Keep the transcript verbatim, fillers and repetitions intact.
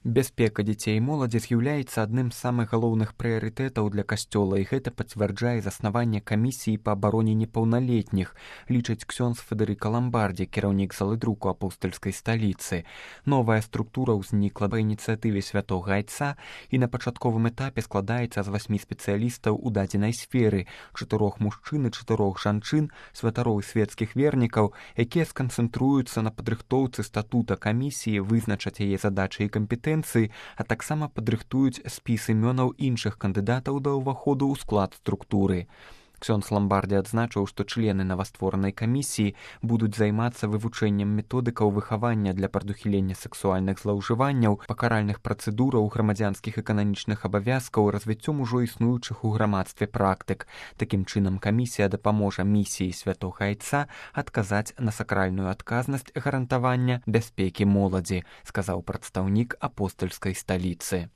Бяспека дзяцей і моладзі з'яўляецца адным з самых галоўных прыярытэтаў для касцёла, і гэта пацвярджае заснаванне камісіі па абароне непаўналетніх, лічыць ксёндз Федэрыка Ламбардзі, кіраўнік залы друку апостальскай сталіцы. Новая структура ўзнікла па ініцыятыве святога айца і на пачатковым этапе складаецца з васьмі спецыялістаў у дадзенай сферы, чатырох мужчын і чатырох жанчын, святароў і свецкіх вернікаў, якія сканцэнтруюцца на падрыхтоўцы статута камісіі, вызначаць яе задачы і кампетэнцыі, а таксама падрыхтуюць спіс імёнаў іншых кандыдатаў да ўваходу ў склад структуры. Ксёндз Ламбардзі адзначыў, што члены новастворанай камісіі будуць займацца вывучэннем методыкаў выхавання для прадухілення сексуальных злоўжыванняў, пакаральных працэдураў, грамадзянскіх і кананічных абавязкаў, развіццём ужо існуючых у грамадстве практык. Такім чынам камісія дапаможа місіі святога айца адказаць на сакральную адказнасць гарантавання бяспекі моладзі, сказаў прадстаўнік апостальскай сталіцы.